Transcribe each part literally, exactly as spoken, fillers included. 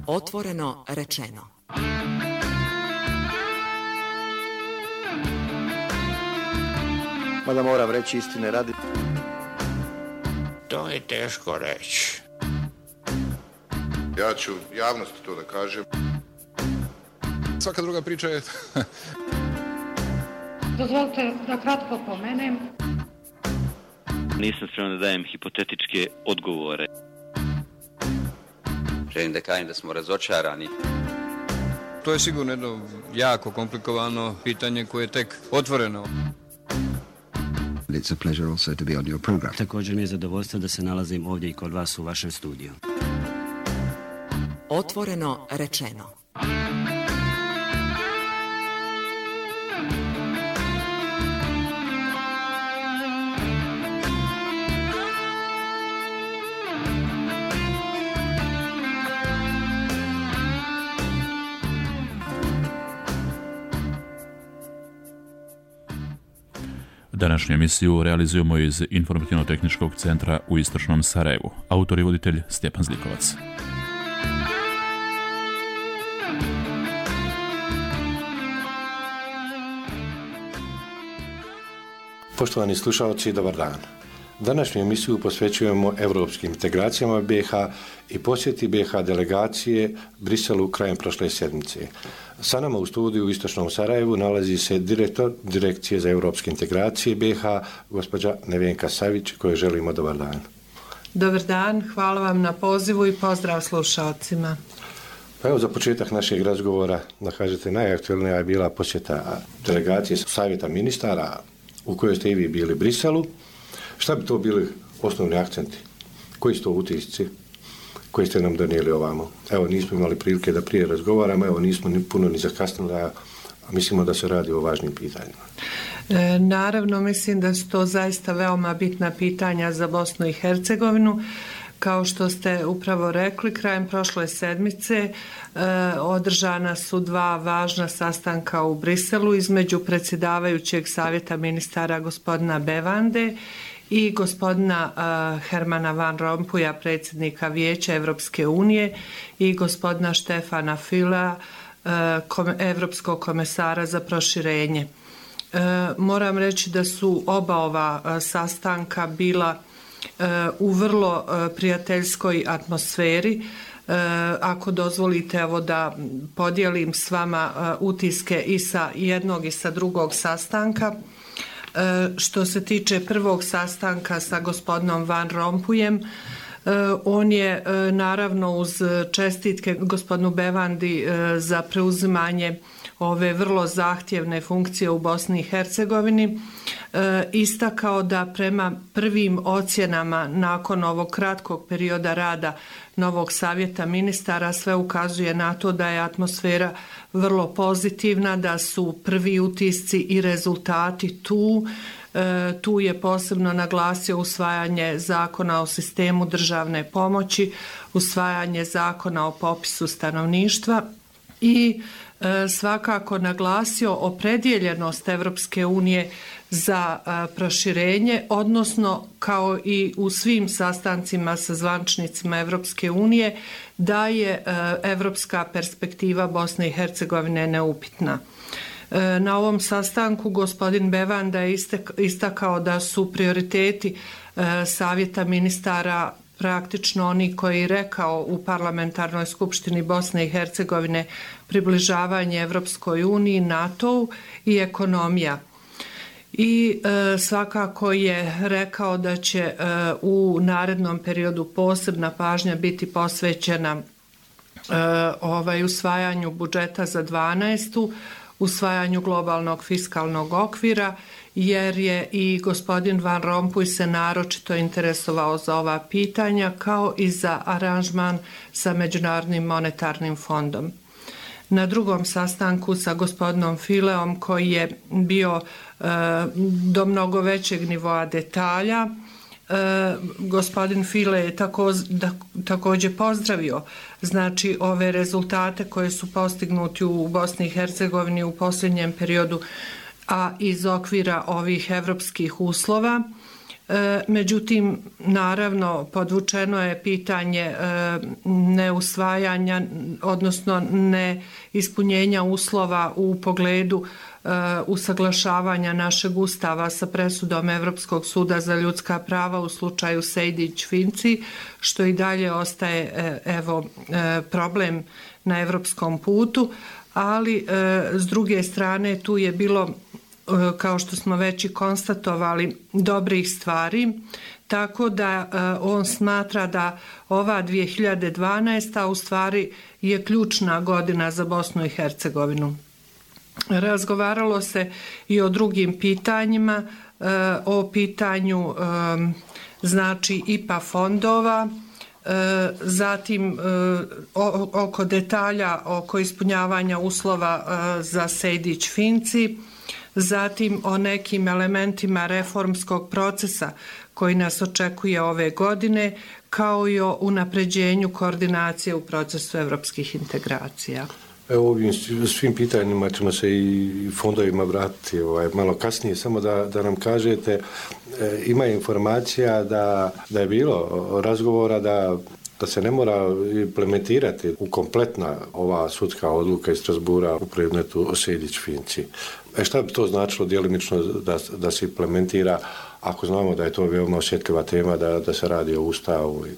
Otvoreno rečeno. Mada moram reći istine radi. To je teško reći. Ja ću javnosti to da kažem. Svaka druga priča je... Dozvolite da kratko pomenem. Nisam spreman da dajem hipotetičke odgovore. Želim da kažem da smo razočarani. To je sigurno jedno jako komplikovano pitanje koje je tek otvoreno. It's a pleasure also to be on your program. Također mi je zadovoljstvo da se nalazim ovdje i kod vas u vašem studiju. Otvoreno rečeno. Današnju emisiju realizujemo iz Informativno-tehničkog centra u Istočnom Sarajevu. Autor i voditelj Stjepan Zlikovac. Poštovani slušalci, dobar dan. Današnju emisiju posvećujemo evropskim integracijama B iH i posjeti B iH delegacije Briselu krajem prošle sedmice. Sa nama u studiju u Istočnom Sarajevu nalazi se direktor Direkcije za evropske integracije B iH, gospođa Nevenka Savić, kojoj želimo dobar dan. Dobar dan, hvala vam na pozivu i pozdrav slušalcima. Pa evo za početak našeg razgovora, da kažete, najaktualnija je bila posjeta delegacije Savjeta ministara u kojoj ste i vi bili u Briselu. Šta bi to bili osnovni akcenti? Koji su to utisci koji ste nam donijeli ovamo? Evo, nismo imali prilike da prije razgovaramo, evo, nismo ni puno ni zakasnili, a mislimo da se radi o važnim pitanjima. E, naravno, mislim da su to zaista veoma bitna pitanja za Bosnu i Hercegovinu. Kao što ste upravo rekli, krajem prošle sedmice e, održana su dva važna sastanka u Briselu između predsjedavajućeg Savjeta ministara gospodina Bevande i gospodina uh, Hermana Van Rompuya, predsjednika Vijeća Evropske unije, i gospodina Štefana Fülea, uh, kom, Evropskog komesara za proširenje. Uh, moram reći da su oba ova uh, sastanka bila uh, u vrlo uh, prijateljskoj atmosferi. Uh, ako dozvolite, evo da podijelim s vama uh, utiske i sa jednog i sa drugog sastanka. Što se tiče prvog sastanka sa gospodinom Van Rompuyem, on je naravno uz čestitke gospodinu Bevandi za preuzimanje ove vrlo zahtjevne funkcije u Bosni i Hercegovini istakao da prema prvim ocjenama nakon ovog kratkog perioda rada novog savjeta ministara sve ukazuje na to da je atmosfera vrlo pozitivna, da su prvi utisci i rezultati tu. E, tu je posebno naglasio usvajanje zakona o sistemu državne pomoći, usvajanje zakona o popisu stanovništva i e, svakako naglasio opredjeljenost Evropske unije za a, proširenje, odnosno kao i u svim sastancima sa zvančnicima Evropske unije, da je a, evropska perspektiva Bosne i Hercegovine neupitna. E, na ovom sastanku gospodin Bevanda je istek, istakao da su prioriteti a, Savjeta ministara praktično oni koji je rekao u Parlamentarnoj skupštini Bosne i Hercegovine približavanje Evropskoj uniji, NATO-u i ekonomija. I e, svakako je rekao da će e, u narednom periodu posebna pažnja biti posvećena e, ovaj usvajanju budžeta za dvanaestu, usvajanju globalnog fiskalnog okvira, jer je i gospodin Van Rompuy se naročito interesovao za ova pitanja, kao i za aranžman sa Međunarodnim monetarnim fondom. Na drugom sastanku sa gospodinom Füleom, koji je bio e, do mnogo većeg nivoa detalja, e, gospodin Füle je tako, da, također pozdravio znači ove rezultate koje su postignuti u Bosni i Hercegovini u posljednjem periodu, a iz okvira ovih evropskih uslova. Međutim, naravno, podvučeno je pitanje neusvajanja, odnosno neispunjenja uslova u pogledu usaglašavanja našeg ustava sa presudom Evropskog suda za ljudska prava u slučaju Sejdić-Finci, što i dalje ostaje evo, problem na evropskom putu, ali s druge strane tu je bilo, kao što smo već i konstatovali, dobrih stvari, tako da on smatra da ova dvije hiljade dvanaesta u stvari je ključna godina za Bosnu i Hercegovinu. Razgovaralo se i o drugim pitanjima, o pitanju znači I P A fondova, zatim oko detalja oko ispunjavanja uslova za Sejdić-Finci, zatim o nekim elementima reformskog procesa koji nas očekuje ove godine, kao i o unapređenju koordinacije u procesu evropskih integracija. Evo, ovim svim pitanjima ćemo se i fondovima vratiti ovaj, malo kasnije, samo da, da nam kažete, e, ima informacija da, da je bilo razgovora da, da se ne mora implementirati u kompletna ova sudska odluka iz Strasbura u predmetu Sejdić-Finci. E šta bi to značilo djelimično da, da se implementira, ako znamo da je to veoma osjetljiva tema, da, da se radi o ustavu i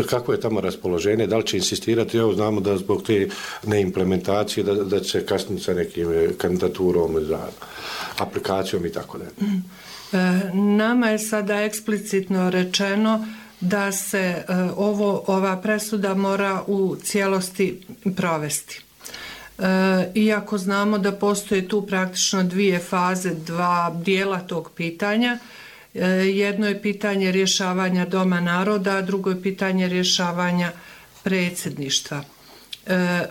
kako je tamo raspoloženje, da li će insistirati, evo znamo da zbog te neimplementacije da, da će kasniti sa nekim kandidaturom za aplikacijom i tako da. Nama je sada eksplicitno rečeno da se ovo, ova presuda mora u cijelosti provesti. Iako znamo da postoje tu praktično dvije faze, dva dijela tog pitanja, jedno je pitanje rješavanja Doma naroda, a drugo je pitanje rješavanja predsjedništva.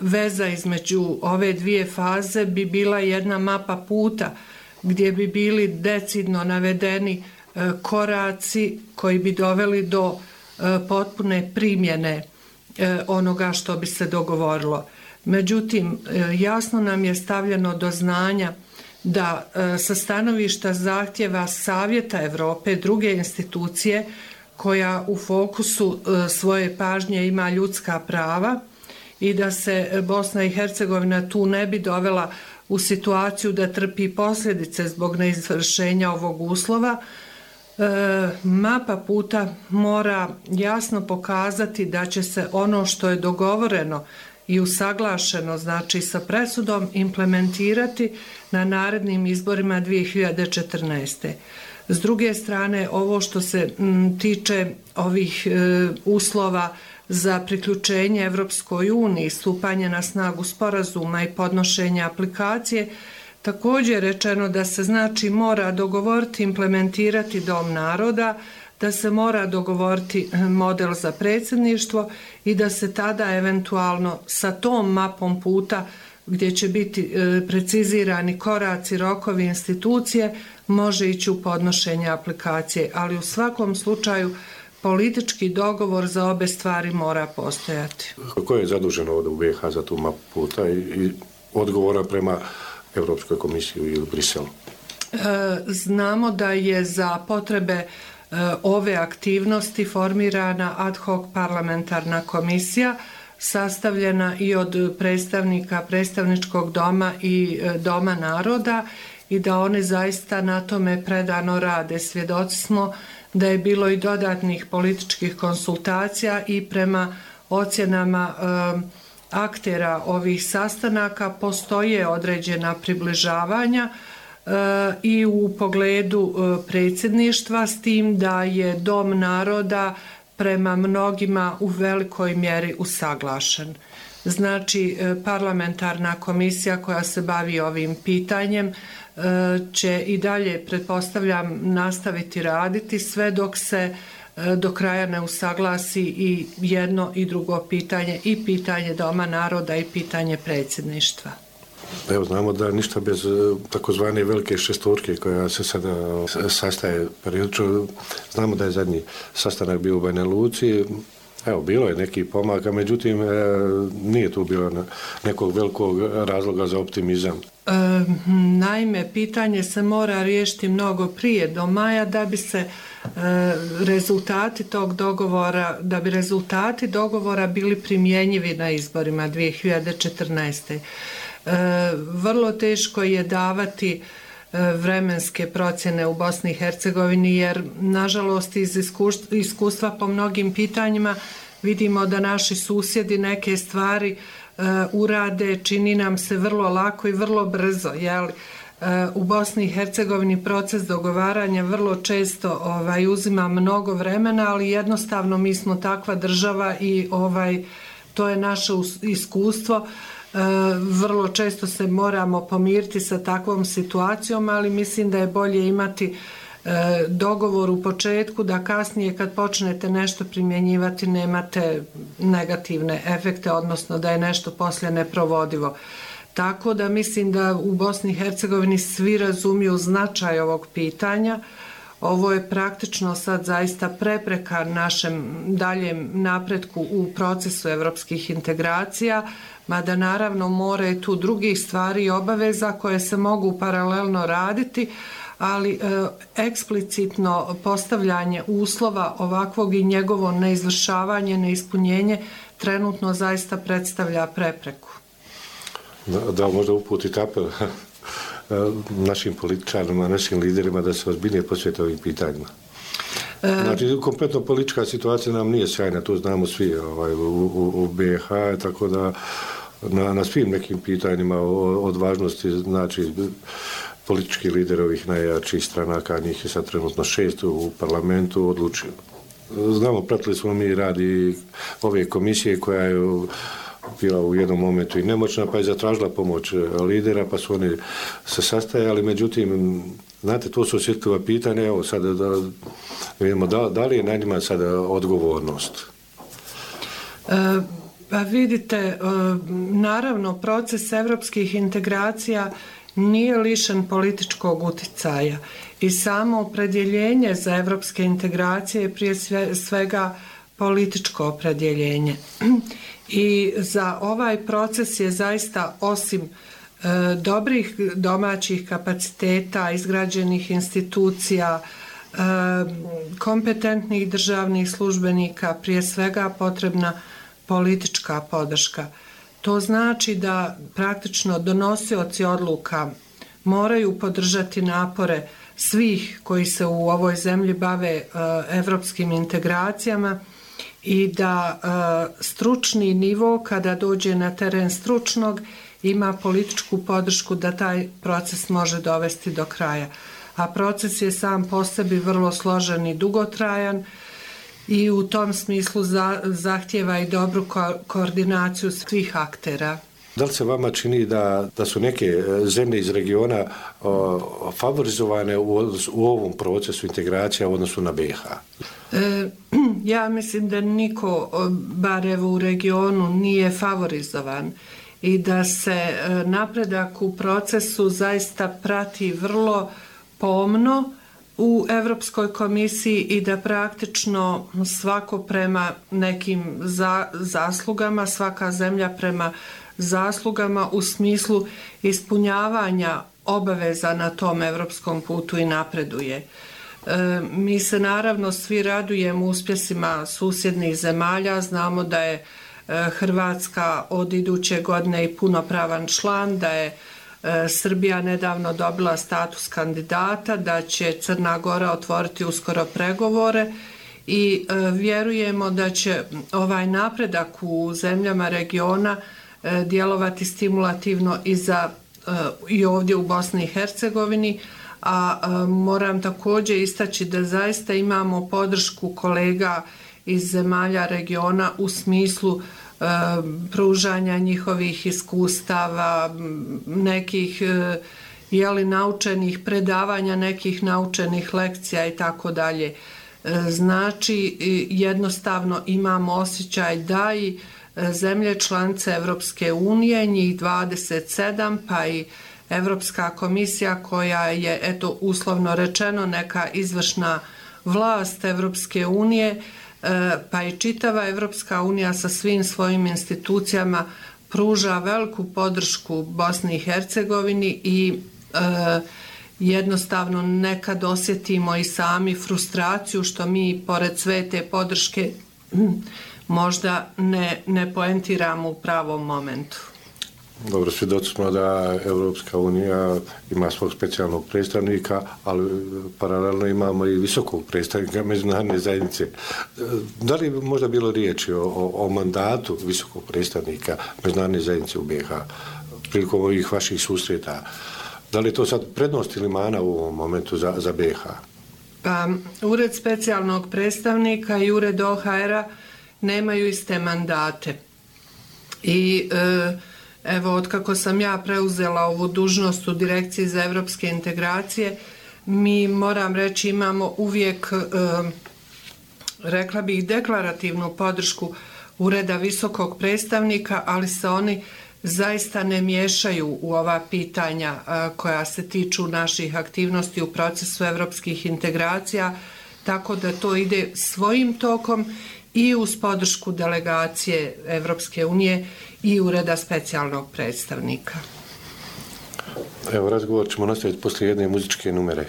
Veza između ove dvije faze bi bila jedna mapa puta gdje bi bili decidno navedeni koraci koji bi doveli do potpune primjene onoga što bi se dogovorilo. Međutim, jasno nam je stavljeno do znanja da sa stanovišta zahtjeva Savjeta Evrope, druge institucije koja u fokusu svoje pažnje ima ljudska prava i da se Bosna i Hercegovina tu ne bi dovela u situaciju da trpi posljedice zbog neizvršenja ovog uslova, mapa puta mora jasno pokazati da će se ono što je dogovoreno i usaglašeno, znači sa presudom, implementirati na narednim izborima dvije hiljade četrnaeste. S druge strane, ovo što se m, tiče ovih e, uslova za priključenje Evropskoj uniji, stupanje na snagu sporazuma i podnošenje aplikacije, također je rečeno da se znači mora dogovoriti, implementirati Dom naroda, da se mora dogovoriti model za predsjedništvo i da se tada eventualno sa tom mapom puta gdje će biti precizirani koraci, rokovi, institucije, može ići u podnošenje aplikacije. Ali u svakom slučaju politički dogovor za obe stvari mora postojati. Ko je zadužen ovdje u B iH za tu mapu puta i, i odgovora prema Europskoj komisiji ili Briselu? E, znamo da je za potrebe ove aktivnosti formirana ad hoc parlamentarna komisija sastavljena i od predstavnika predstavničkog doma i Doma naroda i da oni zaista na tome predano rade. Svjedoci smo da je bilo i dodatnih političkih konsultacija i prema ocjenama um, aktera ovih sastanaka postoje određena približavanja i u pogledu predsjedništva, s tim da je Dom naroda prema mnogima u velikoj mjeri usaglašen. Znači, parlamentarna komisija koja se bavi ovim pitanjem će i dalje, pretpostavljam, nastaviti raditi sve dok se do kraja ne usaglasi i jedno i drugo pitanje, i pitanje Doma naroda i pitanje predsjedništva. Evo, znamo da ništa bez takozvane velike šestorke koja se sada sastaje periodično. Znamo da je zadnji sastanak bio u Banja Luci. Evo, bilo je nekih pomaka, međutim, e, nije tu bilo nekog velikog razloga za optimizam. E, naime, pitanje se mora riješiti mnogo prije do maja da bi se e, rezultati tog dogovora, da bi rezultati dogovora bili primjenjivi na izborima dvije hiljade četrnaeste. E, vrlo teško je davati vremenske procjene u Bosni i Hercegovini, jer nažalost iz iskustva, iskustva po mnogim pitanjima vidimo da naši susjedi neke stvari uh, urade, čini nam se vrlo lako i vrlo brzo. Jel? Uh, u Bosni i Hercegovini proces dogovaranja vrlo često ovaj, uzima mnogo vremena, ali jednostavno mi smo takva država i ovaj, to je naše iskustvo. E, vrlo često se moramo pomiriti sa takvom situacijom, ali mislim da je bolje imati e, dogovor u početku, da kasnije kad počnete nešto primjenjivati nemate negativne efekte, odnosno da je nešto poslije neprovodivo. Tako da mislim da u Bosni i Hercegovini svi razumiju značaj ovog pitanja. Ovo je praktično sad zaista prepreka našem daljem napretku u procesu evropskih integracija, mada naravno mora i tu drugih stvari i obaveza koje se mogu paralelno raditi, ali e, eksplicitno postavljanje uslova ovakvog i njegovo neizvršavanje, neispunjenje trenutno zaista predstavlja prepreku. Da, da možda uputiti apel našim političarima, našim liderima da se ozbiljnije posvete ovim pitanjima. Znači, kompletno politička situacija nam nije sjajna, to znamo svi ovaj, u, u, u B i H, tako da na, na svim nekim pitanjima od važnosti, znači, politički lider ovih najjačih stranaka, njih je sad trenutno šest u parlamentu, odlučio. Znamo, pratili smo mi radi ove komisije koja je bila u jednom momentu i nemoćna, pa je zatražila pomoć lidera, pa su oni se sastajali, međutim, znate, to su osjetljiva pitanja, evo sada da vidimo da, da li je na njima sada odgovornost? E, pa vidite, e, naravno, proces evropskih integracija nije lišen političkog uticaja i samo opredjeljenje za evropske integracije je prije sve, svega političko opredjeljenje. I za ovaj proces je zaista osim e, dobrih domaćih kapaciteta, izgrađenih institucija, e, kompetentnih državnih službenika, prije svega potrebna politička podrška. To znači da praktično donosioci odluka moraju podržati napore svih koji se u ovoj zemlji bave e, evropskim integracijama i da e, stručni nivo, kada dođe na teren stručnog, ima političku podršku da taj proces može dovesti do kraja. A proces je sam po sebi vrlo složen i dugotrajan i u tom smislu za, zahtjeva i dobru ko- koordinaciju svih aktera. Da li se vama čini da, da su neke zemlje iz regiona o, favorizovane u, u ovom procesu integracija u odnosu na B i H? E, ja mislim da niko, bar evo u regionu, nije favorizovan i da se napredak u procesu zaista prati vrlo pomno u Evropskoj komisiji i da praktično svako prema nekim za, zaslugama, svaka zemlja prema zaslugama u smislu ispunjavanja obaveza na tom evropskom putu i napreduje. E, mi se naravno svi radujemo uspjesima susjednih zemalja, znamo da je e, Hrvatska od iduće godine i punopravan član, da je e, Srbija nedavno dobila status kandidata, da će Crna Gora otvoriti uskoro pregovore i e, vjerujemo da će ovaj napredak u zemljama regiona djelovati stimulativno i za i ovdje u Bosni i Hercegovini, a moram također istaći da zaista imamo podršku kolega iz zemalja regiona u smislu pružanja njihovih iskustava, nekih jeli naučenih predavanja, nekih naučenih lekcija i tako dalje. Znači jednostavno imamo osjećaj da i zemlje članice Evropske unije, njih dvadeset sedam, pa i Evropska komisija koja je, eto, uslovno rečeno, neka izvršna vlast Evropske unije, pa i čitava Evropska unija sa svim svojim institucijama pruža veliku podršku Bosni i Hercegovini i e, jednostavno nekad osjetimo i sami frustraciju što mi pored sve te podrške možda ne, ne poentiramo u pravom momentu. Dobro, svjedoci smo da Evropska unija ima svog specijalnog predstavnika, ali paralelno imamo i visokog predstavnika međunarodne zajednice. Da li možda bilo riječi o, o, o mandatu visokog predstavnika međunarodne zajednice u be ha prilikom ovih vaših susreta? Da li je to sad prednost ili mana u ovom momentu za, za be ha? Pa, Ured specijalnog predstavnika i Ured o ha era nemaju iste mandate. I e, evo, otkako sam ja preuzela ovu dužnost u Direkciji za evropske integracije, mi, moram reći, imamo uvijek, e, rekla bih, deklarativnu podršku Ureda visokog predstavnika, ali se oni zaista ne miješaju u ova pitanja a, koja se tiču naših aktivnosti u procesu evropskih integracija, tako da to ide svojim tokom i uz podršku delegacije Evropske unije i Ureda specijalnog predstavnika. Evo, razgovor ćemo nastaviti poslije jedne muzičke numere.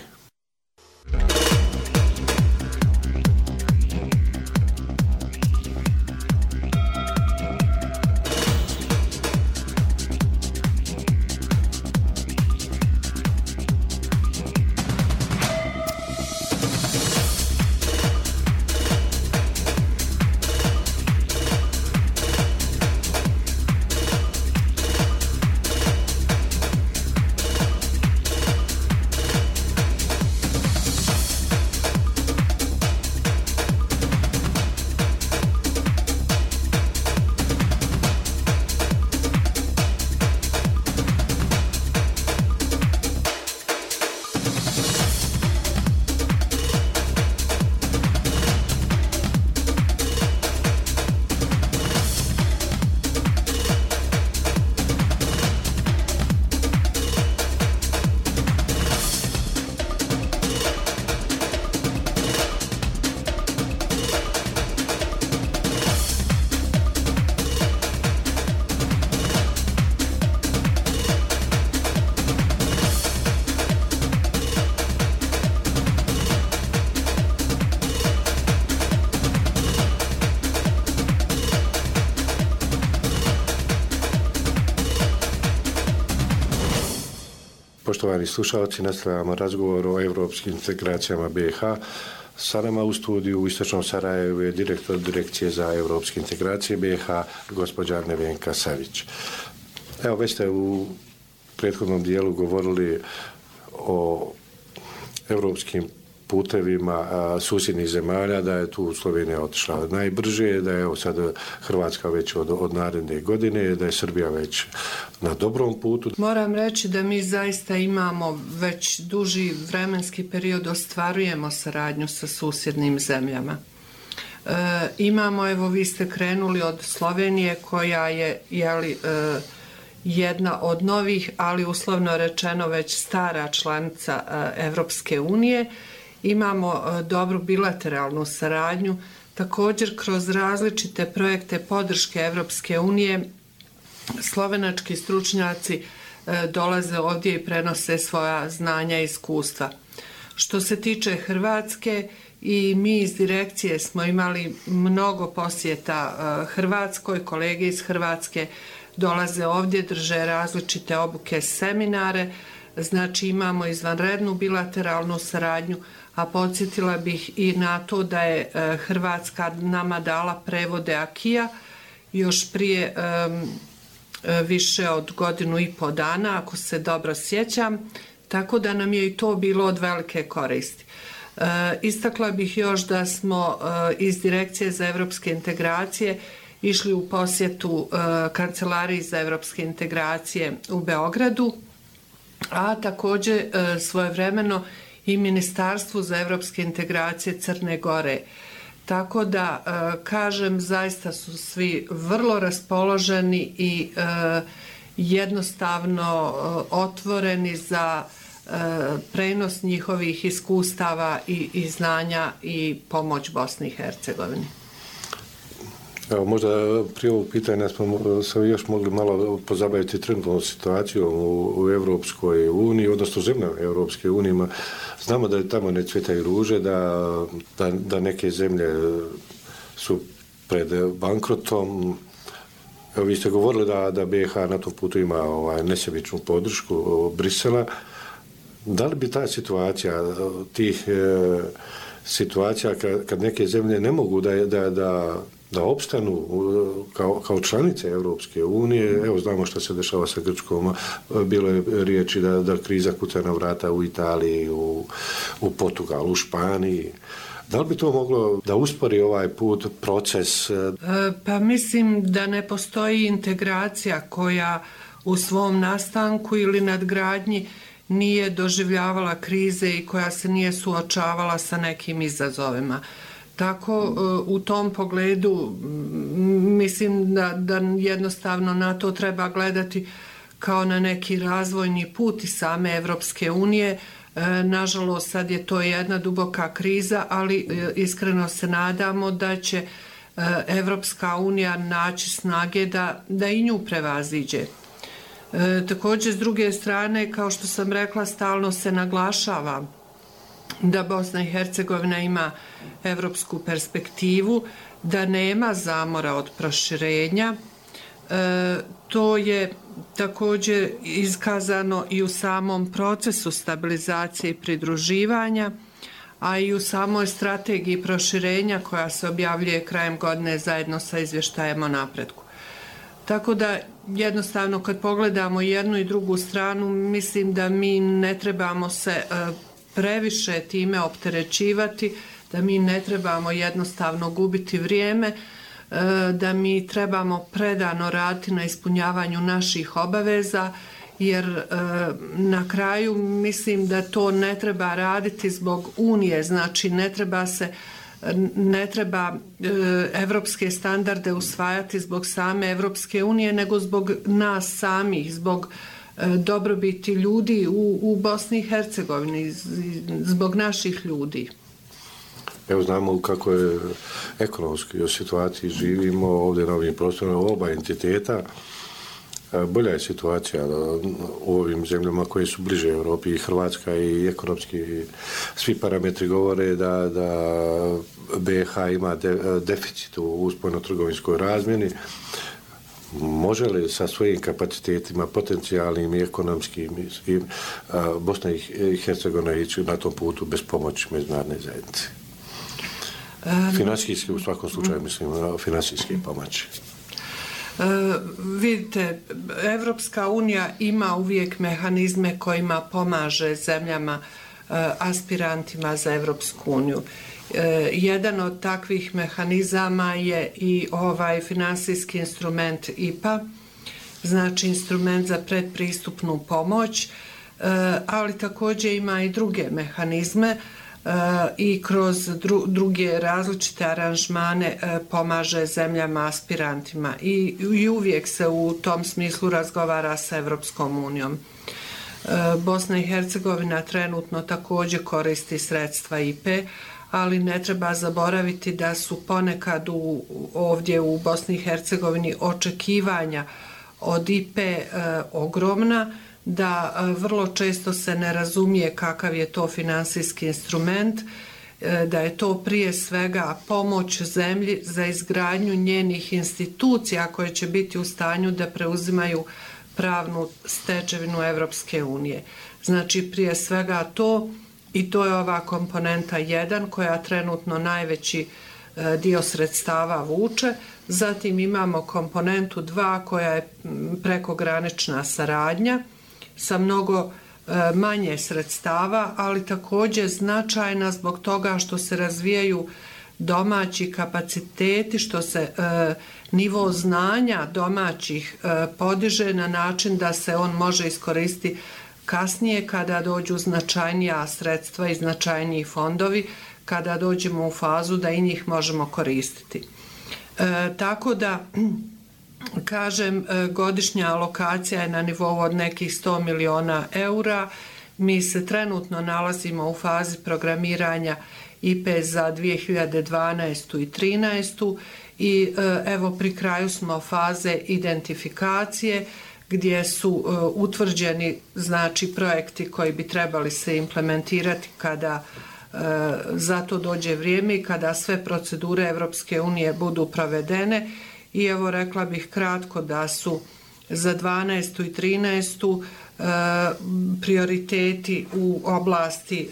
Poštovani slušalci, nastavljamo razgovor o evropskim integracijama be ha. Sa nama u studiju u Istočnom Sarajevu je direktor Direkcije za evropske integracije be ha, gospođa Nevenka Savić. Evo, već ste u prethodnom dijelu govorili o evropskim putevima a, susjednih zemalja, da je tu Slovenija otišla najbrže, da je evo sad Hrvatska već od, od naredne godine, da je Srbija već na dobrom putu. Moram reći da mi zaista imamo već duži vremenski period, ostvarujemo saradnju sa susjednim zemljama. E, imamo, evo, vi ste krenuli od Slovenije koja je, jeli, e, jedna od novih, ali uslovno rečeno već stara članica e, Evropske unije. Imamo e, dobru bilateralnu saradnju, također kroz različite projekte podrške Evropske unije. Slovenački stručnjaci e, dolaze ovdje i prenose svoja znanja i iskustva. Što se tiče Hrvatske, i mi iz direkcije smo imali mnogo posjeta e, Hrvatskoj, kolege iz Hrvatske dolaze ovdje, drže različite obuke, seminare, znači imamo izvanrednu bilateralnu saradnju, a podsjetila bih i na to da je e, Hrvatska nama dala prevode akija još prije e, više od godinu i po dana, ako se dobro sjećam, tako da nam je i to bilo od velike koristi. E, istakla bih još da smo e, iz Direkcije za evropske integracije išli u posjetu e, Kancelariji za evropske integracije u Beogradu, a također e, svojevremeno i Ministarstvu za evropske integracije Crne Gore. Tako da, e, kažem, zaista su svi vrlo raspoloženi i e, jednostavno e, otvoreni za e, prenos njihovih iskustava i, i znanja i pomoć Bosni i Hercegovini. Evo, možda prije ovog pitanja smo se još mogli malo pozabaviti trenutnom situacijom u, u Evropskoj uniji, odnosno zemljama Evropske unije. Znamo da tamo ne cvjetaju ruže, da, da, da neke zemlje su pred bankrotom. Evo, vi ste govorili da, da B i H na tom putu ima ovaj, nesebičnu podršku Brisela. Da li bi ta situacija, tih e, situacija kad, kad neke zemlje ne mogu da, da, da da opstanu kao, kao članice Evropske unije, evo znamo što se dešava sa Grčkom, bilo je riječi da, da kriza kuca na vrata u Italiji, u, u Portugalu, u Španiji. Da li bi to moglo da uspori ovaj put, proces? Pa mislim da ne postoji integracija koja u svom nastanku ili nadgradnji nije doživljavala krize i koja se nije suočavala sa nekim izazovima. Tako u tom pogledu mislim da, da jednostavno na to treba gledati kao na neki razvojni put i same Evropske unije. Nažalost, sad je to jedna duboka kriza, ali iskreno se nadamo da će Evropska unija naći snage da, da i nju prevaziđe. Također, s druge strane, kao što sam rekla, stalno se naglašava da Bosna i Hercegovina ima evropsku perspektivu, da nema zamora od proširenja. E, to je također iskazano i u samom procesu stabilizacije i pridruživanja, a i u samoj strategiji proširenja koja se objavljuje krajem godine zajedno sa izvještajem o napretku. Tako da jednostavno kad pogledamo jednu i drugu stranu, mislim da mi ne trebamo se e, previše time opterećivati, da mi ne trebamo jednostavno gubiti vrijeme, da mi trebamo predano raditi na ispunjavanju naših obaveza, jer na kraju mislim da to ne treba raditi zbog Unije, znači ne treba se ne treba evropske standarde usvajati zbog same Evropske unije, nego zbog nas samih, zbog dobrobiti ljudi u, u Bosni i Hercegovini, zbog naših ljudi. Evo znamo kako je ekonomski u situaciji živimo ovdje na ovim prostorima oba entiteta. Bolja je situacija u ovim zemljama koje su bliže Europi, i Hrvatska i ekonomski svi parametri govore da, da B i H ima de, deficit u spoljnotrgovinskoj razmjeni. Može li sa svojim kapacitetima, potencijalnim i ekonomskim, i, a, Bosna i Hercegovina ići na tom putu bez pomoći međunarodne zajednice? Finansijski, u svakom slučaju, mislim, finansijski pomoći. E, vidite, Evropska unija ima uvijek mehanizme kojima pomaže zemljama e, aspirantima za Evropsku uniju. E, jedan od takvih mehanizama je i ovaj finansijski instrument I P A, znači instrument za predpristupnu pomoć, e, ali također ima i druge mehanizme e, i kroz dru, druge različite aranžmane e, pomaže zemljama aspirantima i, i uvijek se u tom smislu razgovara sa Evropskom unijom. E, Bosna i Hercegovina trenutno također koristi sredstva I P A, ali ne treba zaboraviti da su ponekad u, ovdje u Bosni i Hercegovini očekivanja od I P A e, ogromna, da e, vrlo često se ne razumije kakav je to finansijski instrument, e, da je to prije svega pomoć zemlji za izgradnju njenih institucija koje će biti u stanju da preuzimaju pravnu stečevinu Evropske unije. Znači prije svega to, i to je ova komponenta jedan koja trenutno najveći e, dio sredstava vuče. Zatim imamo komponentu dva koja je prekogranična saradnja sa mnogo e, manje sredstava, ali također značajna zbog toga što se razvijaju domaći kapaciteti, što se e, nivo znanja domaćih e, podiže na način da se on može iskoristiti kasnije kada dođu značajnija sredstva i značajniji fondovi, kada dođemo u fazu da i njih možemo koristiti. E, tako da, kažem, godišnja alokacija je na nivou od nekih sto miliona eura. Mi se trenutno nalazimo u fazi programiranja I P E za dvije hiljade dvanaestu i trinaestu i evo pri kraju smo faze identifikacije gdje su utvrđeni znači projekti koji bi trebali se implementirati kada za to dođe vrijeme i kada sve procedure Evropske unije budu provedene. I evo rekla bih kratko da su za dvanaestu i trinaestu prioriteti u oblasti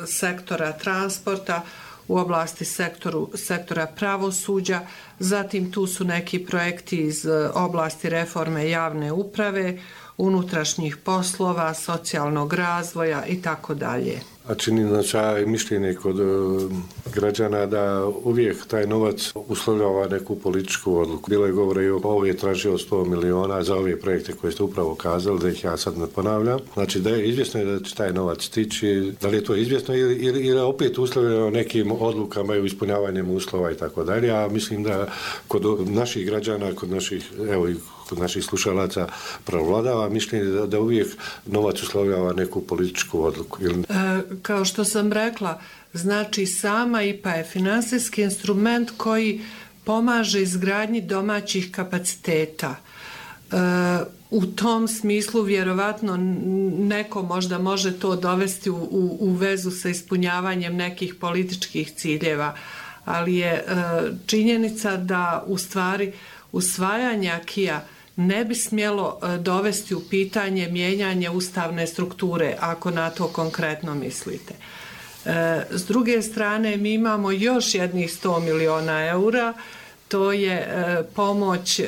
sektora transporta, u oblasti sektoru, sektora pravosuđa, zatim tu su neki projekti iz oblasti reforme javne uprave, unutrašnjih poslova, socijalnog razvoja i tako dalje. A čini značaj mišljenje kod uh, građana da uvijek taj novac uslovljava neku političku odluku. Bilo je govore i ovo je tražio sto miliona za ove projekte koje ste upravo kazali, da ih ja sad ne ponavljam. Znači da je izvjesno da će taj novac stići, da li je to izvjesno ili, ili, ili opet uslovljeno nekim odlukama i ispunjavanjem uslova i tako dalje. A mislim da kod naših građana, kod naših, evo i kod naših slušalaca prevladava mišljenje da, da uvijek novac uslovljava neku političku odluku. Ili... E, kao što sam rekla, znači sama I P A je finansijski instrument koji pomaže izgradnji domaćih kapaciteta. E, u tom smislu vjerovatno neko možda može to dovesti u, u, u vezu sa ispunjavanjem nekih političkih ciljeva, ali je e, činjenica da u stvari usvajanje akija ne bi smjelo dovesti u pitanje mijenjanje ustavne strukture, ako na to konkretno mislite. S druge strane, mi imamo još jednih sto miliona eura, to je pomoć,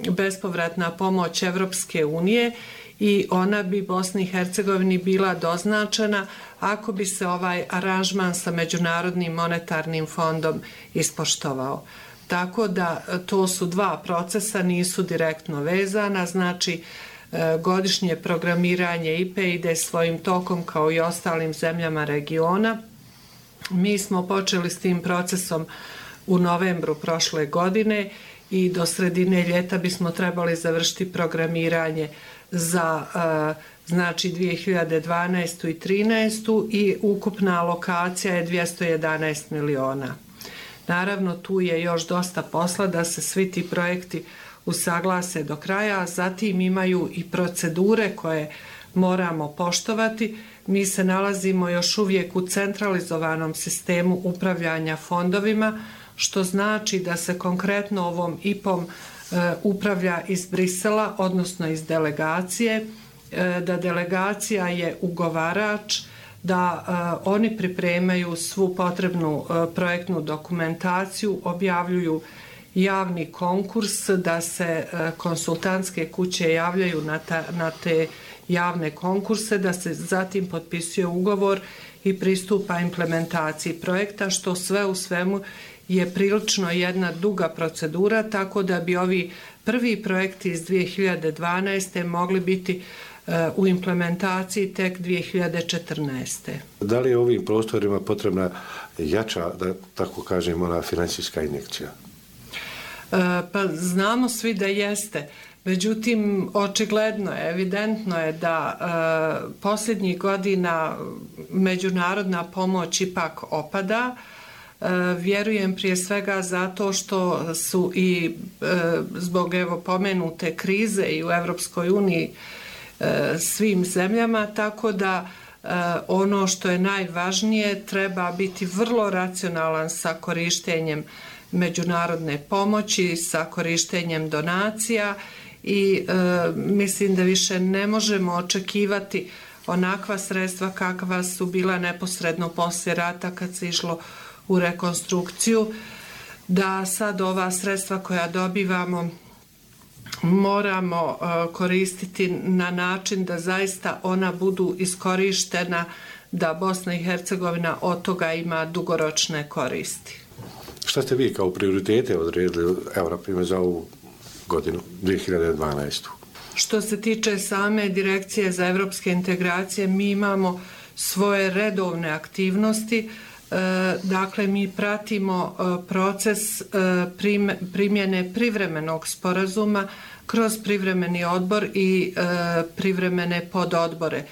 bespovratna pomoć Evropske unije i ona bi Bosni i Hercegovini bila doznačena ako bi se ovaj aranžman sa Međunarodnim monetarnim fondom ispoštovao. Tako da to su dva procesa, nisu direktno vezana, znači godišnje programiranje I P E ide svojim tokom kao i ostalim zemljama regiona. Mi smo počeli s tim procesom u novembru prošle godine i do sredine ljeta bismo trebali završiti programiranje za znači dvije hiljade dvanaestu i trinaestu i ukupna alokacija je dvjesto jedanaest miliona. Naravno, tu je još dosta posla da se svi ti projekti usaglase do kraja, a zatim imaju i procedure koje moramo poštovati. Mi se nalazimo još uvijek u centralizovanom sistemu upravljanja fondovima, što znači da se konkretno ovom I P O-om e, upravlja iz Brisela, odnosno iz delegacije, e, da delegacija je ugovarač, da uh, oni pripremaju svu potrebnu uh, projektnu dokumentaciju, objavljuju javni konkurs, da se uh, konsultantske kuće javljaju na, ta, na te javne konkurse, da se zatim potpisuje ugovor i pristupa implementaciji projekta, što sve u svemu je prilično jedna duga procedura, tako da bi ovi prvi projekti iz dvije hiljade dvanaeste mogli biti u implementaciji tek dvije hiljade četrnaeste. Da li je ovim prostorima potrebna jača, da tako kažem, ona financijska injekcija? Pa znamo svi da jeste. Međutim, očigledno je, evidentno je da e, posljednjih godina međunarodna pomoć ipak opada. E, vjerujem prije svega zato što su i e, zbog evo pomenute krize i u Evropskoj uniji svim zemljama, tako da e, ono što je najvažnije treba biti vrlo racionalan sa korištenjem međunarodne pomoći, sa korištenjem donacija i e, mislim da više ne možemo očekivati onakva sredstva kakva su bila neposredno poslije rata kad se išlo u rekonstrukciju, da sad ova sredstva koja dobivamo moramo uh, koristiti na način da zaista ona budu iskorištena, da Bosna i Hercegovina od toga ima dugoročne koristi. Šta ste vi kao prioritete odredili, evo na primjer, za ovu godinu, dvije hiljade dvanaestu? Što se tiče same Direkcije za evropske integracije, mi imamo svoje redovne aktivnosti. Dakle, mi pratimo proces primjene privremenog sporazuma kroz privremeni odbor i privremene pododbore.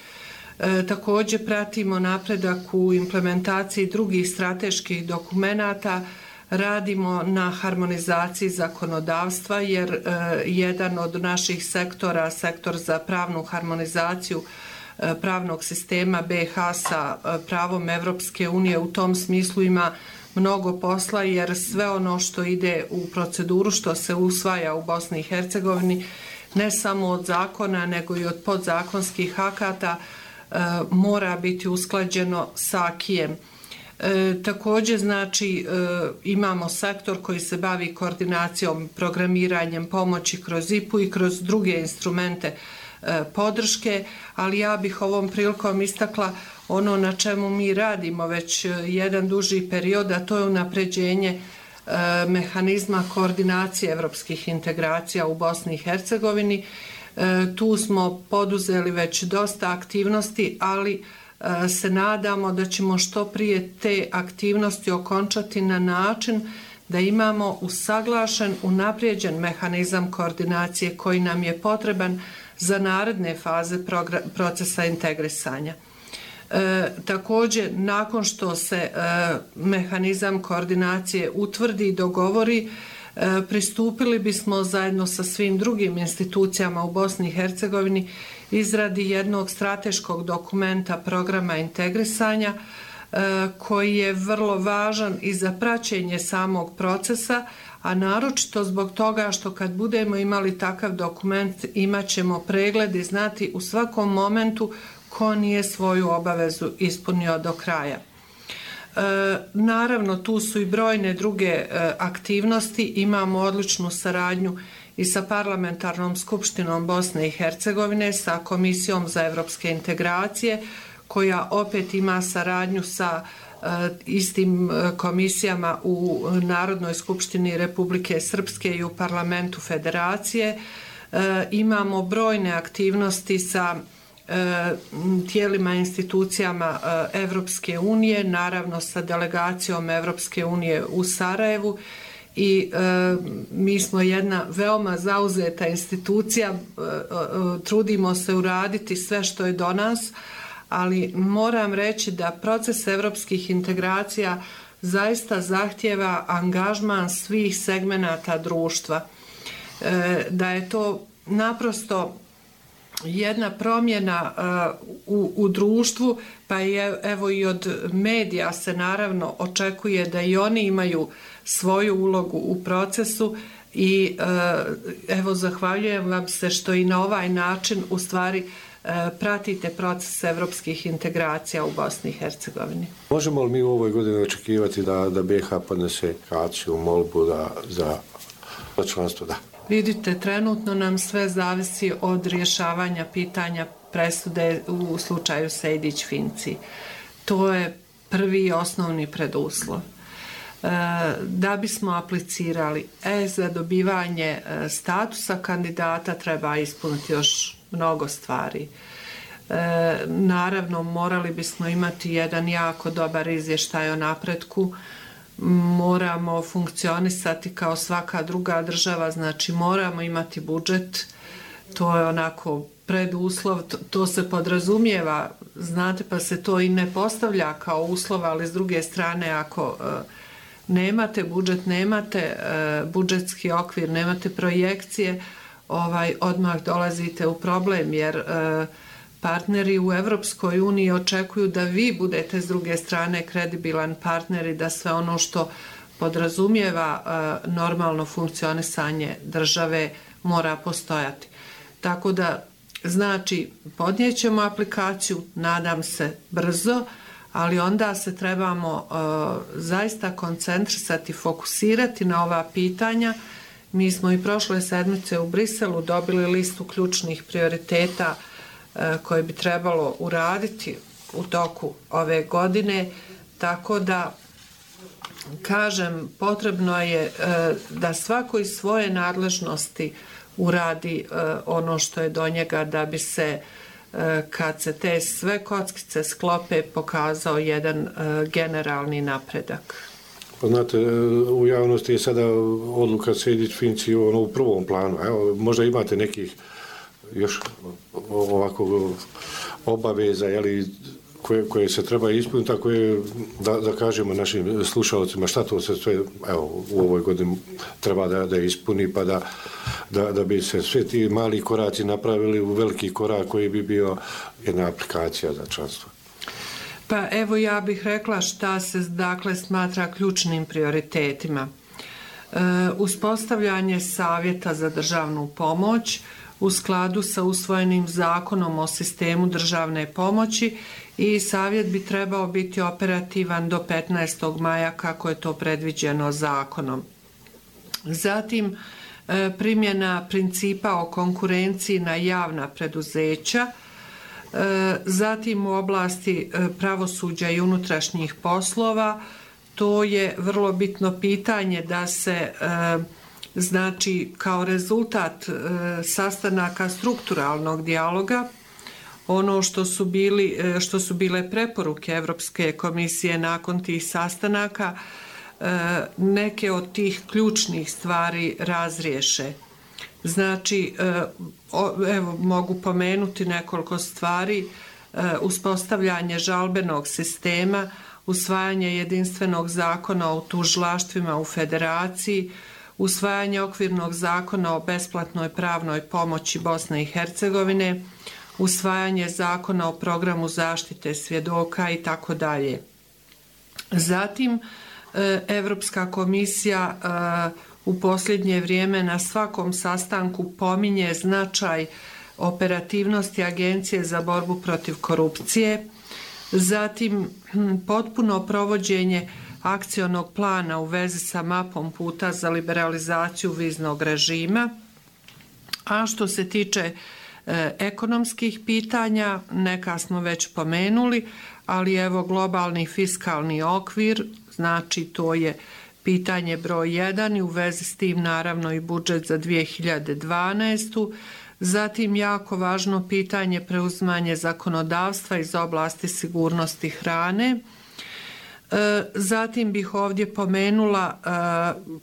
E, također pratimo napredak u implementaciji drugih strateških dokumenata, radimo na harmonizaciji zakonodavstva jer e, jedan od naših sektora, sektor za pravnu harmonizaciju e, pravnog sistema B iH sa e, pravom Evropske unije u tom smislu ima mnogo posla jer sve ono što ide u proceduru, što se usvaja u Bosni i Hercegovini, ne samo od zakona nego i od podzakonskih akata, e, mora biti usklađeno sa akijem. E, također znači e, imamo sektor koji se bavi koordinacijom, programiranjem pomoći kroz I P U i kroz druge instrumente e, podrške, ali ja bih ovom prilikom istakla ono na čemu mi radimo već jedan duži period, a to je unapređenje e, mehanizma koordinacije evropskih integracija u Bosni i Hercegovini. E, tu smo poduzeli već dosta aktivnosti, ali se nadamo da ćemo što prije te aktivnosti okončati na način da imamo usaglašen, unaprijeđen mehanizam koordinacije koji nam je potreban za naredne faze procesa integrisanja. E, također, nakon što se e, mehanizam koordinacije utvrdi i dogovori, e, pristupili bismo zajedno sa svim drugim institucijama u Bosni i Hercegovini izradi jednog strateškog dokumenta programa integrisanja e, koji je vrlo važan i za praćenje samog procesa, a naročito zbog toga što kad budemo imali takav dokument imat ćemo pregled i znati u svakom momentu ko nije svoju obavezu ispunio do kraja. E, naravno, tu su i brojne druge e, aktivnosti, imamo odličnu saradnju i sa Parlamentarnom skupštinom Bosne i Hercegovine, sa Komisijom za evropske integracije, koja opet ima saradnju sa e, istim komisijama u Narodnoj skupštini Republike Srpske i u Parlamentu Federacije. E, imamo brojne aktivnosti sa e, tijelima, institucijama e, Evropske unije, naravno sa delegacijom Evropske unije u Sarajevu, i e, mi smo jedna veoma zauzeta institucija, e, e, trudimo se uraditi sve što je do nas, ali moram reći da proces evropskih integracija zaista zahtjeva angažman svih segmenata društva, e, da je to naprosto jedna promjena uh, u, u društvu, pa je, evo i od medija se naravno očekuje da i oni imaju svoju ulogu u procesu i uh, evo zahvaljujem vam se što i na ovaj način u stvari uh, pratite proces evropskih integracija u Bosni i Hercegovini. Možemo li mi u ovoj godini očekivati da, da B iH podnese akciju, molbu da, za članstvo? Da. Vidite, trenutno nam sve zavisi od rješavanja pitanja presude u slučaju Sejdić-Finci. To je prvi i osnovni preduslov. E, da bismo aplicirali e, za dobivanje e, statusa kandidata treba ispuniti još mnogo stvari. E, naravno, morali bismo imati jedan jako dobar izvještaj o napretku, moramo funkcionisati kao svaka druga država, znači moramo imati budžet, to je onako preduslov, to, to se podrazumijeva, znate, pa se to i ne postavlja kao uslov, ali s druge strane ako e, nemate budžet, nemate e, budžetski okvir, nemate projekcije, ovaj, odmah dolazite u problem, jer e, partneri u Evropskoj uniji očekuju da vi budete s druge strane kredibilan partner i da sve ono što podrazumijeva e, normalno funkcionisanje države mora postojati. Tako da, znači, podnijećemo aplikaciju, nadam se brzo, ali onda se trebamo e, zaista koncentrisati, fokusirati na ova pitanja. Mi smo i prošle sedmice u Briselu dobili listu ključnih prioriteta koje bi trebalo uraditi u toku ove godine, tako da, kažem, potrebno je da svako iz svoje nadležnosti uradi ono što je do njega da bi se, kad se te sve kockice sklope, pokazao jedan generalni napredak. Pa znate, u javnosti je sada odluka Sejdić-Finci ono, u prvom planu. Evo, možda imate nekih još ovako obaveza, jeli, koje, koje se treba ispuniti, a koje, da, da kažemo našim slušalcima šta to se sve, evo, u ovoj godini treba da, da ispuni, pa da, da, da bi se sve ti mali koraci napravili u veliki korak koji bi bio jedna aplikacija za članstvo. Pa evo ja bih rekla šta se dakle smatra ključnim prioritetima. E, uspostavljanje savjeta za državnu pomoć u skladu sa usvojenim zakonom o sistemu državne pomoći i savjet bi trebao biti operativan do petnaestog maja kako je to predviđeno zakonom. Zatim e, primjena principa o konkurenciji na javna preduzeća. Zatim u oblasti pravosuđa i unutrašnjih poslova, to je vrlo bitno pitanje da se znači kao rezultat sastanaka strukturalnog dijaloga, ono što su bili, što su bile preporuke Evropske komisije nakon tih sastanaka, neke od tih ključnih stvari razriješe. Znači, evo, mogu pomenuti nekoliko stvari, uspostavljanje žalbenog sistema, usvajanje jedinstvenog zakona o tužilaštvima u federaciji, usvajanje okvirnog zakona o besplatnoj pravnoj pomoći Bosne i Hercegovine, usvajanje zakona o programu zaštite svjedoka i tako dalje. Zatim, Evropska komisija u posljednje vrijeme na svakom sastanku pominje značaj operativnosti Agencije za borbu protiv korupcije, zatim potpuno provođenje akcionog plana u vezi sa mapom puta za liberalizaciju viznog režima, a što se tiče e, ekonomskih pitanja, neka smo već pomenuli, ali evo globalni fiskalni okvir, znači to je pitanje broj jedan i u vezi s tim naravno i budžet za dvije hiljade dvanaestu. Zatim jako važno pitanje preuzimanje zakonodavstva iz oblasti sigurnosti hrane. Zatim bih ovdje pomenula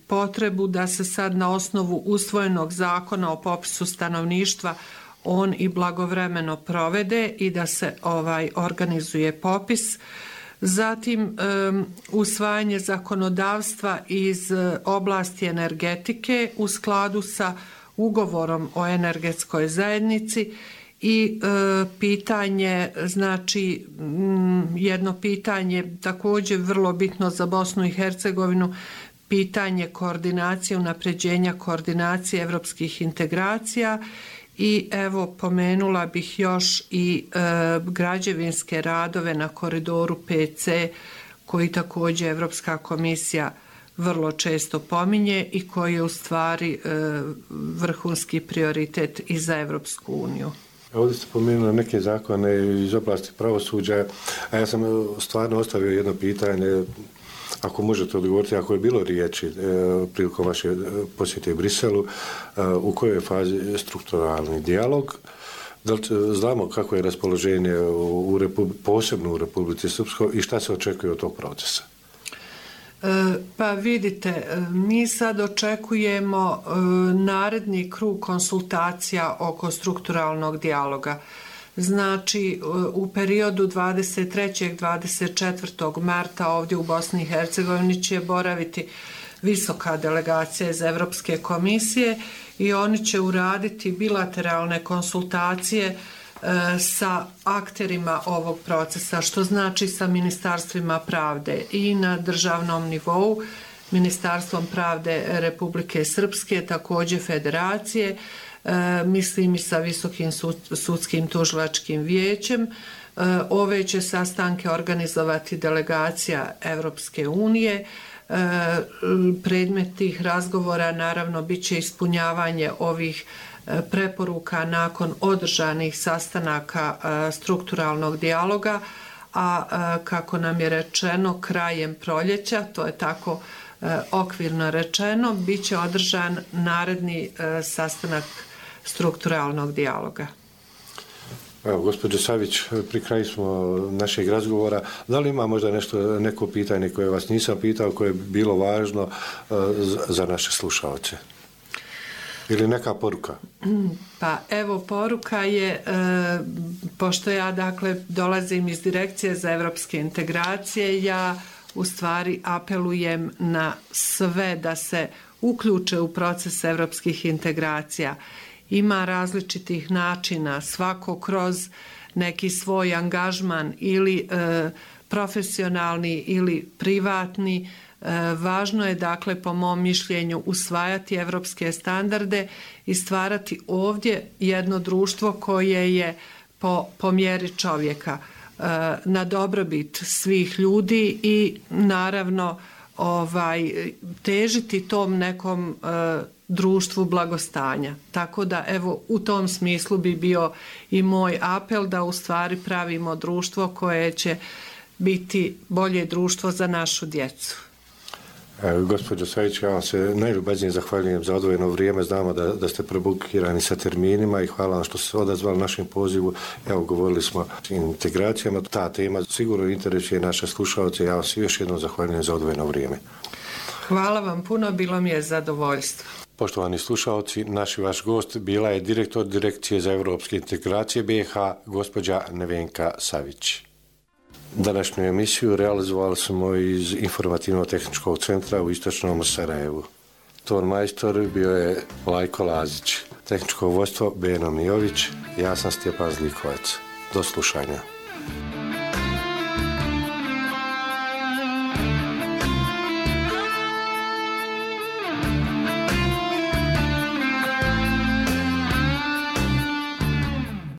potrebu da se sad na osnovu usvojenog zakona o popisu stanovništva on i blagovremeno provede i da se ovaj organizuje popis. Zatim um, usvajanje zakonodavstva iz oblasti energetike u skladu sa ugovorom o energetskoj zajednici i e, pitanje, znači m, jedno pitanje također vrlo bitno za Bosnu i Hercegovinu, pitanje koordinacije, unapređenja koordinacije evropskih integracija. I evo pomenula bih još i e, građevinske radove na koridoru P C koji također Evropska komisija vrlo često pominje i koji je u stvari e, vrhunski prioritet i za Evropsku uniju. Ovdje ste pomenuli neke zakone iz oblasti pravosuđa, a ja sam stvarno ostavio jedno pitanje, ako možete odgovoriti, ako je bilo riječi e, prilikom vaše posjete u Briselu, e, u kojoj je fazi strukturalni dijalog, da li znamo kako je raspoloženje u, u Republi, posebno u Republici Srpskoj i šta se očekuje od tog procesa? E, pa vidite, mi sad očekujemo e, naredni krug konsultacija oko strukturalnog dijaloga. Znači, u periodu dvadeset trećeg do dvadeset četvrtog marta ovdje u Bosni i Hercegovini će boraviti visoka delegacija iz Evropske komisije i oni će uraditi bilateralne konsultacije e, sa akterima ovog procesa, što znači sa ministarstvima pravde i na državnom nivou, Ministarstvom pravde Republike Srpske, također federacije, E, mislim i sa Visokim sud, sudskim tužilačkim vijećem. E, ove će sastanke organizovati delegacija Evropske unije. E, predmet tih razgovora naravno bit će ispunjavanje ovih e, preporuka nakon održanih sastanaka e, strukturalnog dijaloga, a e, kako nam je rečeno krajem proljeća, to je tako e, okvirno rečeno, bit će održan naredni e, sastanak strukturalnog dijaloga. Evo, gospođo Savić, pri kraju smo našeg razgovora. Da li ima možda nešto, neko pitanje koje vas nisam pitao, koje je bilo važno uh, za naše slušalce? ili neka poruka? Pa evo, poruka je, e, pošto ja dakle dolazim iz Direkcije za evropske integracije, ja u stvari apelujem na sve da se uključe u proces evropskih integracija. Ima različitih načina, svako kroz neki svoj angažman ili e, profesionalni ili privatni. E, važno je, dakle, po mom mišljenju, usvajati evropske standarde i stvarati ovdje jedno društvo koje je po, po mjeri čovjeka, e, na dobrobit svih ljudi i naravno ovaj, težiti tom nekom e, društvu blagostanja. Tako da, evo, u tom smislu bi bio i moj apel da u stvari pravimo društvo koje će biti bolje društvo za našu djecu. E, gospođo Savić, ja vam se najljubaznije zahvaljujem za odvojeno vrijeme. Znamo da, da ste prebukirani sa terminima i hvala vam što ste se odazvali našem pozivu. Evo, govorili smo o integracijama. Ta tema sigurno interesuje naše slušalce. Ja vam se još jednom zahvaljujem za odvojeno vrijeme. Hvala vam puno, bilo mi je zadovoljstvo. Poštovani slušalci, naš i vaš gost bila je direktor Direkcije za evropske integracije B i H, gospođa Nevenka Savić. Današnju emisiju realizovali smo iz Informativno-tehničkog centra u Istočnom Sarajevu. Ton majstor bio je Lajko Lazić, tehničko vodstvo Beno Mijović, ja sam Stjepan Zlikovac. Do slušanja.